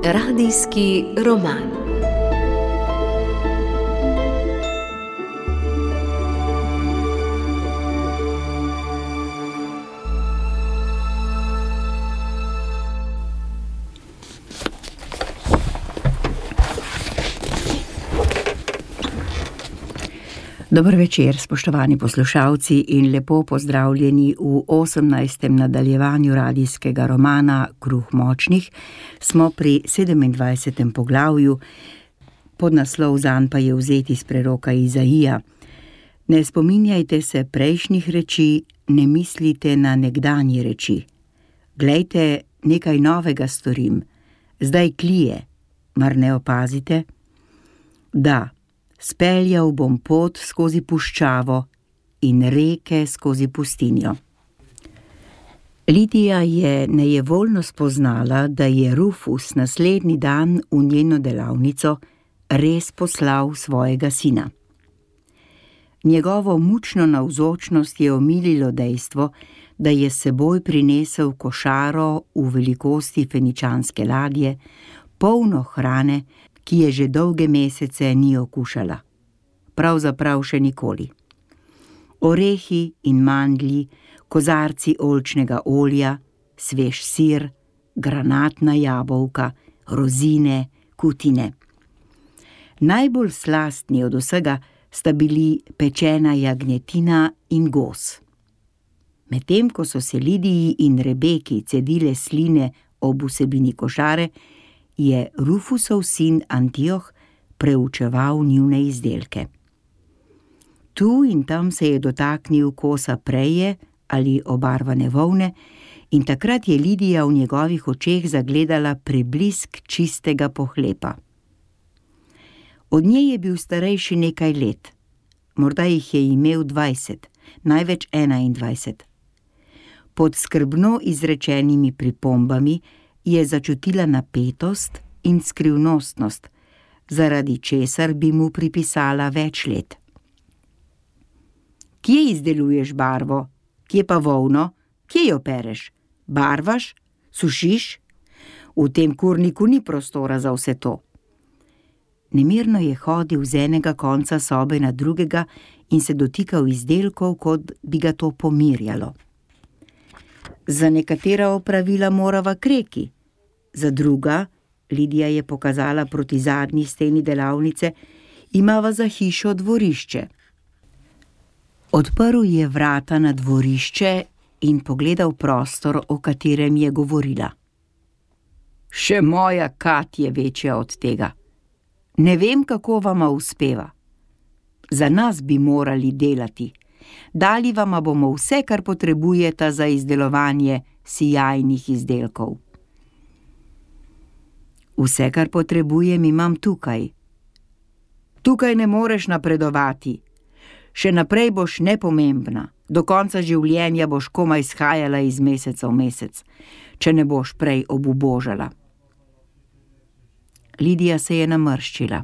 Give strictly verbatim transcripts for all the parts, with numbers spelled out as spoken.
Radijski roman. Dober večer, spoštovani poslušalci, in lepo pozdravljeni v osemnajstem nadaljevanju radijskega romana Kruh močnih. Smo pri sedemindvajsetem poglavju, podnaslov zanj pa je vzet iz preroka Izaija. Ne spominjajte se prejšnjih reči, ne mislite na nekdanje reči. Glejte, nekaj novega storim, zdaj klije, mar ne opazite? Da, speljal bom pot skozi puščavo in reke skozi pustinjo. Lidija je nejevoljno spoznala, da je Rufus naslednji dan v njeno delavnico res poslal svojega sina. Njegovo mučno navzočnost je omililo dejstvo, da je s seboj prinesel košaro v velikosti feničanske ladje, polno hrane, ki je že dolge mesece ni okušala. Pravzaprav še nikoli. Orehi in mandlji, kozarci oljčnega olja, svež sir, granatna jabolka, rozine, kutine. Najbolj slastni od vsega sta bili pečena jagnjetina in gos. Medtem ko so se Lidiji in Rebeki cedile sline ob vsebini košare, je Rufusov sin Antioh preučeval njune izdelke. Tu in tam se je dotaknil kosa preje ali obarvane volne in takrat je Lidija v njegovih očeh zagledala preblisk čistega pohlepa. Od nje je bil starejši nekaj let, morda jih je imel dvajset, največ enaindvajset. Pod skrbno izrečenimi pripombami je začutila napetost in skrivnostnost, zaradi česar bi mu pripisala več let. Kje izdeluješ barvo? Kje pa volno? Kje jo pereš? Barvaš? Sušiš? V tem kurniku ni prostora za vse to. Nemirno je hodil z enega konca sobe na drugega in se dotikal izdelkov, kot bi ga to pomirjalo. Za nekatera opravila morava kreki, za druga, Lidija je pokazala proti zadnji steni delavnice, imava za hišo dvorišče. Odprl je vrata na dvorišče in pogledal prostor, o katerem je govorila. Še moja Kat je večja od tega. Ne vem, kako vama uspeva. Za nas bi morali delati. Dali vama bomo vse, kar potrebujete za izdelovanje sijajnih izdelkov. Vse, kar potrebujem, imam tukaj. Tukaj ne moreš napredovati. Še naprej boš nepomembna. Do konca življenja boš komaj shajala iz meseca v mesec, če ne boš prej obubožala. Lidija se je namrščila.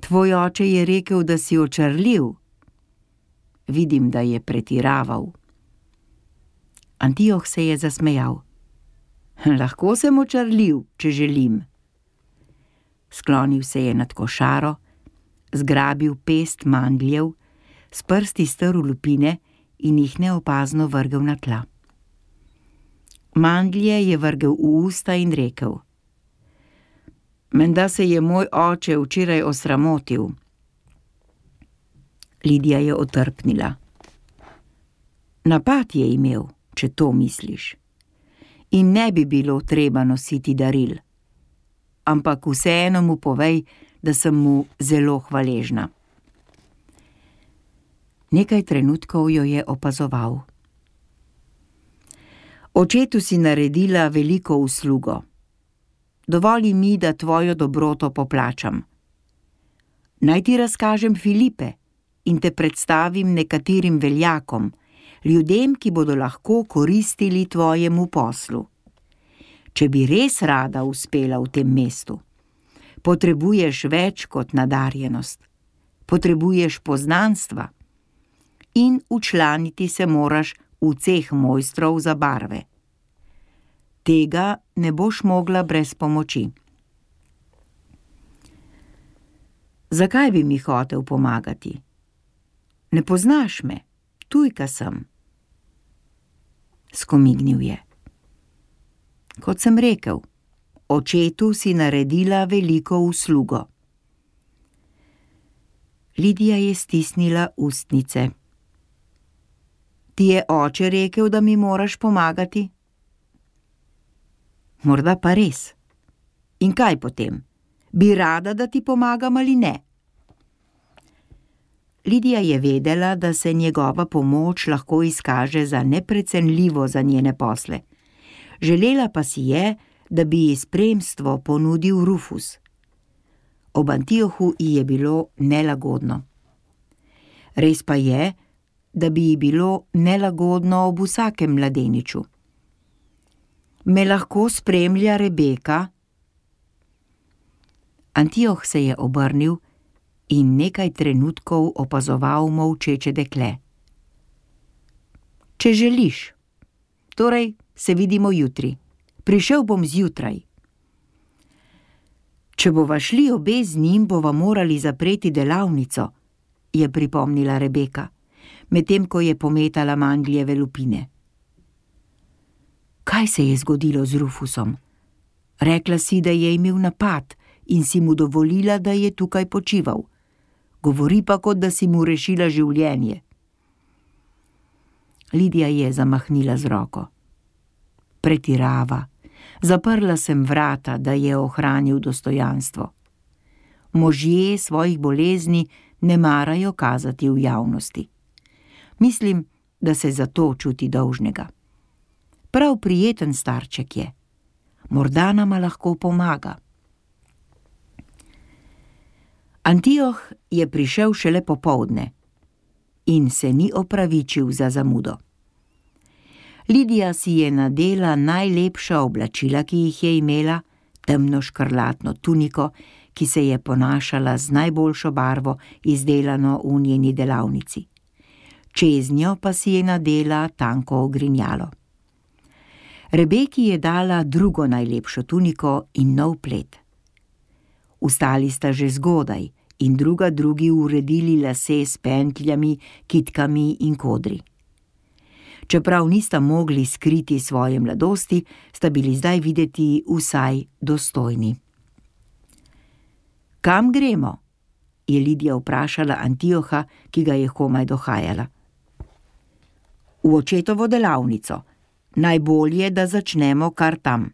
Tvoj oče je rekel, da si očarljiv. Vidim, da je pretiraval. Antioh se je zasmejal. Lahko sem očarljiv, če želim. Sklonil se je nad košaro, zgrabil pest mandljev, s prsti strl lupine in jih neopazno vrgel na tla. Mandlje je vrgel v usta in rekel: Menda se je moj oče včeraj osramotil. Lidija je otrpnila. Napad je imel, če to misliš. In ne bi bilo treba nositi daril. Ampak vseeno mu povej, da sem mu zelo hvaležna. Nekaj trenutkov jo je opazoval. Očetu si naredila veliko uslugo. Dovoli mi, da tvojo dobroto poplačam. Naj ti razkažem Filipe in te predstavim nekaterim veljakom, ljudem, ki bodo lahko koristili tvojemu poslu. Če bi res rada uspela v tem mestu, potrebuješ več kot nadarjenost. Potrebuješ poznanstva in včlaniti se moraš v ceh mojstrov za barve. Tega ne boš mogla brez pomoči. Zakaj bi mi hotel pomagati? Ne poznaš me, tujka sem. Skomignil je. Kot sem rekel, očetu si naredila veliko uslugo. Lidija je stisnila ustnice. Ti je oče rekel, da mi moraš pomagati? Morda pa res. In kaj potem? Bi rada, da ti pomagam ali ne? Lidija je vedela, da se njegova pomoč lahko izkaže za neprecenljivo za njene posle. Želela pa si je, da bi ji spremstvo ponudil Rufus. Ob Antiohu ji je bilo nelagodno. Res pa je, da bi ji bilo nelagodno ob vsakem mladeniču. Me lahko spremlja Rebeka? Antioh se je obrnil in nekaj trenutkov opazoval molčeče dekle. Če želiš. Torej, se vidimo jutri. Prišel bom zjutraj. Če bova šli obe z njim, bova morali zapreti delavnico, je pripomnila Rebeka, medtem ko je pometala mandljeve lupine. Kaj se je zgodilo z Rufusom? Rekla si, da je imel napad in si mu dovolila, da je tukaj počival. Govori pa, kot da si mu rešila življenje. Lidija je zamahnila z roko. Pretirava. Zaprla sem vrata, da je ohranil dostojanstvo. Možje svojih bolezni ne marajo kazati v javnosti. Mislim, da se zato čuti dolžnega. Prav prijeten starček je. Morda nama lahko pomaga. Antioh je prišel šele popoldne in se ni opravičil za zamudo. Lidija si je nadela najlepša oblačila, ki jih je imela, temno škrlatno tuniko, ki se je ponašala z najboljšo barvo, izdelano v njeni delavnici. Čeznjo pa si je nadela tanko ogrinjalo. Rebeki je dala drugo najlepšo tuniko in nov plet. Vstali sta že zgodaj in druga drugi uredili lase s pentljami, kitkami in kodri. Čeprav nista mogli skriti svoje mladosti, sta bili zdaj videti vsaj dostojni. Kam gremo? Je Lidija vprašala Antioha, ki ga je komaj dohajala. V očetovo delavnico. Najbolje, da začnemo kar tam.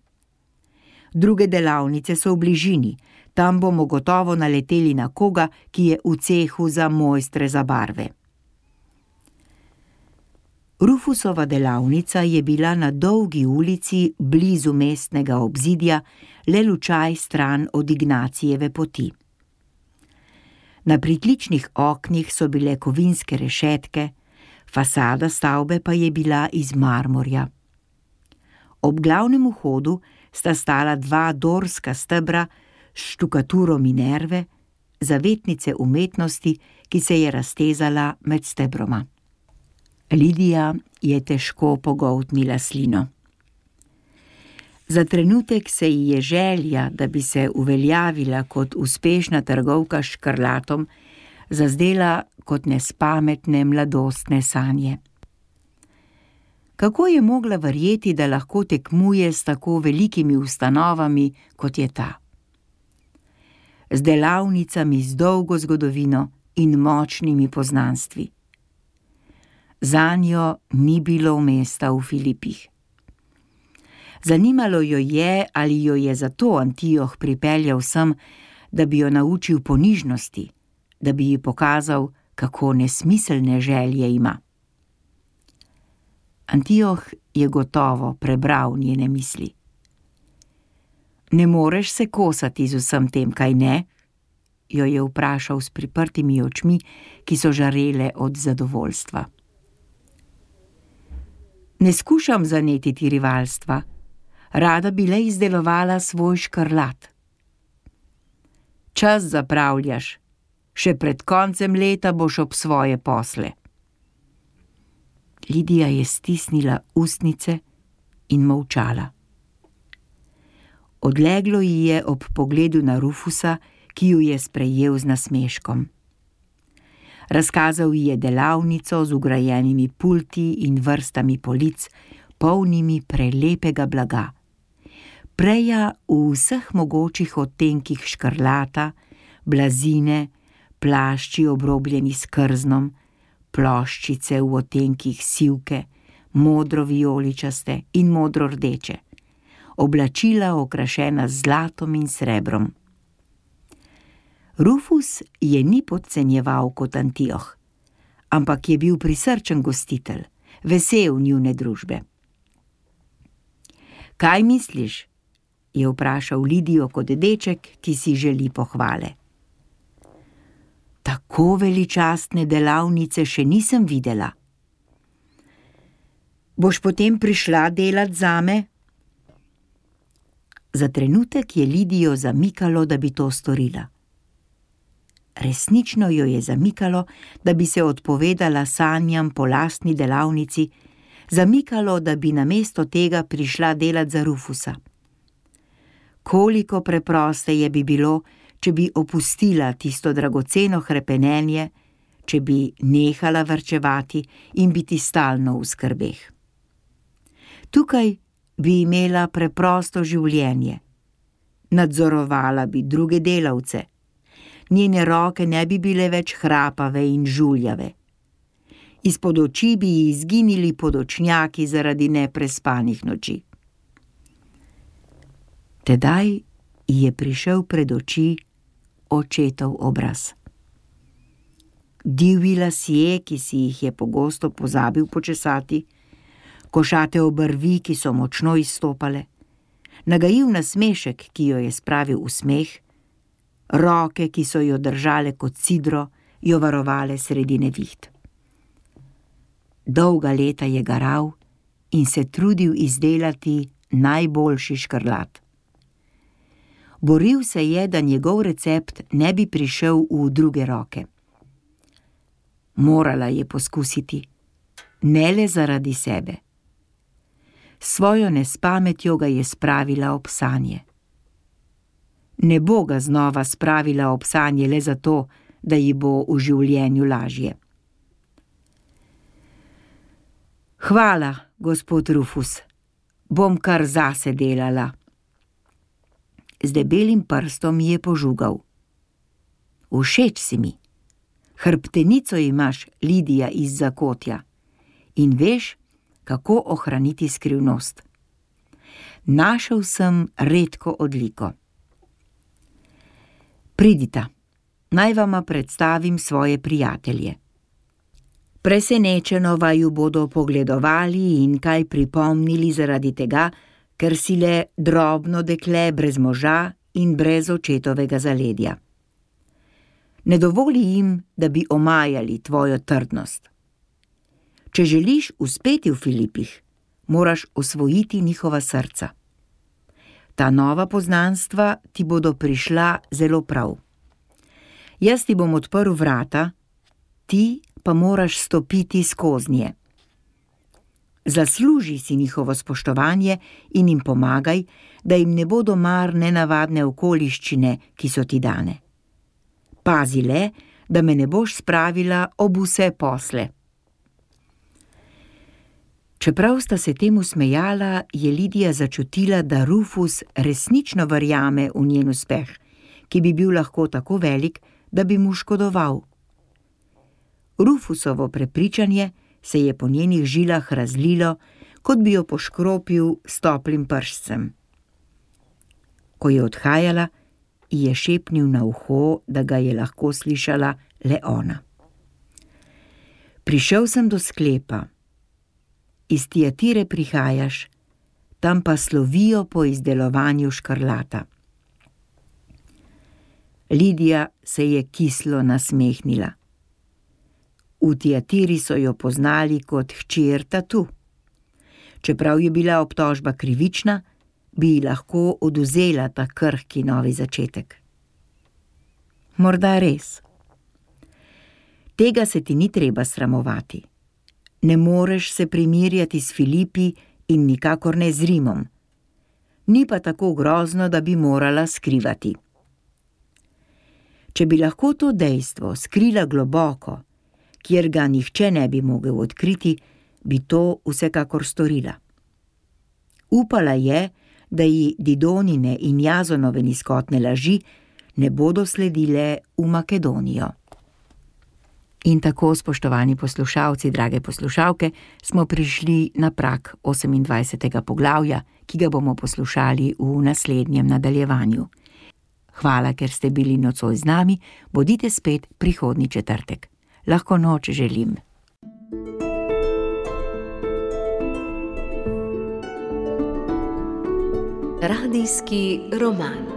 Druge delavnice so v bližini, tam bomo gotovo naleteli na koga, ki je v cehu za mojstre za barve. Rufusova delavnica je bila na dolgi ulici blizu mestnega obzidja, le lučaj stran od Ignacijeve poti. Na pritličnih oknih so bile kovinske rešetke, fasada stavbe pa je bila iz marmorja. Ob glavnem vhodu sta stala dva dorska stebra s štukaturo Minerve, zavetnice umetnosti, ki se je raztezala med stebroma. Lidija je težko pogoltnila slino. Za trenutek se ji je želja, da bi se uveljavila kot uspešna trgovka s škrlatom, zazdela kot nespametne mladostne sanje. Kako je mogla verjeti, da lahko tekmuje s tako velikimi ustanovami, kot je ta? Z delavnicami z dolgo zgodovino in močnimi poznanstvi. Zanjo ni bilo mesta v Filipih. Zanimalo jo je, ali jo je zato Antioh pripeljal sem, da bi jo naučil ponižnosti, da bi ji pokazal, kako nesmiselne želje ima. Antioh je gotovo prebral njene misli. Ne moreš se kosati z vsem tem, kaj ne? Jo je vprašal s priprtimi očmi, ki so žarele od zadovoljstva. Ne skušam zanetiti rivalstva, rada bi le izdelovala svoj škrlat. Čas zapravljaš, še pred koncem leta boš ob svoje posle. Lidija je stisnila ustnice in molčala. Odleglo ji je ob pogledu na Rufusa, ki ju je sprejel z nasmeškom. Razkazal ji je delavnico z vgrajenimi pulti in vrstami polic, polnimi prelepega blaga. Preja v vseh mogočih odtenkih škrlata, blazine, plašči obrobljeni s krznom, ploščice v odtenkih sivke, modro-vijoličaste in modro-rdeče, oblačila okrašena z zlatom in srebrom. Rufus je ni podcenjeval kot Antioh, ampak je bil prisrčen gostitelj, vesel njune družbe. Kaj misliš? Je vprašal Lidijo kot deček, ki si želi pohvale. Tako veličastne delavnice še nisem videla. Boš potem prišla delat zame? Za trenutek je Lidijo zamikalo, da bi to storila. Resnično jo je zamikalo, da bi se odpovedala sanjam po lastni delavnici, zamikalo, da bi namesto tega prišla delat za Rufusa. Koliko preprosteje bi bilo, če bi opustila tisto dragoceno hrepenenje, če bi nehala varčevati in biti stalno v skrbeh. Tukaj bi imela preprosto življenje. Nadzorovala bi druge delavce. Njene roke ne bi bile več hrapave in žuljave. Izpod oči bi ji izginili podočnjaki zaradi neprespanih noči. Tedaj ji je prišel pred oči očetov obraz. Divji lasje, ki si jih je pogosto pozabil počesati, košate obrvi, ki so močno izstopale, nagajiv nasmešek, ki jo je spravil v smeh, roke, ki so jo držale kot sidro, jo varovale sredi neviht. Dolga leta je garal in se trudil izdelati najboljši škrlat. Boril se je, da njegov recept ne bi prišel v druge roke. Morala je poskusiti, ne le zaradi sebe. Svojo nespametjo ga je spravila ob sanje. Ne bo ga znova spravila ob sanje le zato, da ji bo v življenju lažje. Hvala, gospod Rufus, bom kar zase delala. Z debelim prstom je požugal. Všeč si mi. Hrbtenico imaš, Lidija iz Zakotja, in veš, kako ohraniti skrivnost. Našel sem redko odliko. Pridita, naj vama predstavim svoje prijatelje. Presenečeno vaju bodo pogledovali in kaj pripomnili zaradi tega, ker si le drobno dekle brez moža in brez očetovega zaledja. Ne dovoli jim, da bi omajali tvojo trdnost. Če želiš uspeti v Filipih, moraš osvojiti njihova srca. Ta nova poznanstva ti bodo prišla zelo prav. Jaz ti bom odprl vrata, ti pa moraš stopiti skoznje. Zasluži si njihovo spoštovanje in jim pomagaj, da jim ne bodo mar nenavadne okoliščine, ki so ti dane. Pazi le, da me ne boš spravila ob vse posle. Čeprav sta se temu smejala, je Lidija začutila, da Rufus resnično verjame v njen uspeh, ki bi bil lahko tako velik, da bi mu škodoval. Rufusovo prepričanje se je po njenih žilah razlilo, kot bi jo poškropil s toplim pršcem. Ko je odhajala, ji je šepnil na uho, da ga je lahko slišala le ona. Prišel sem do sklepa. Iz Tiatire prihajaš, tam pa slovijo po izdelovanju škrlata. Lidija se je kislo nasmehnila. V Tiatiri so jo poznali kot hčer Tatu. Čeprav je bila obtožba krivična, bi ji lahko odvzela ta krhki novi začetek. Morda res. Tega se ti ni treba sramovati. Ne moreš se primerjati s Filipi in nikakor ne z Rimom. Ni pa tako grozno, da bi morala skrivati. Če bi lahko to dejstvo skrila globoko, kjer ga nihče ne bi mogel odkriti, bi to vsekakor storila. Upala je, da ji Didonine in Jazonove nizkotne laži ne bodo sledile v Makedonijo. In tako, spoštovani poslušalci, drage poslušalke, smo prišli na prag osemindvajsetega poglavja, ki ga bomo poslušali v naslednjem nadaljevanju. Hvala, ker ste bili nocoj z nami, bodite spet prihodnji četrtek. Lahko noč želim. Radijski roman.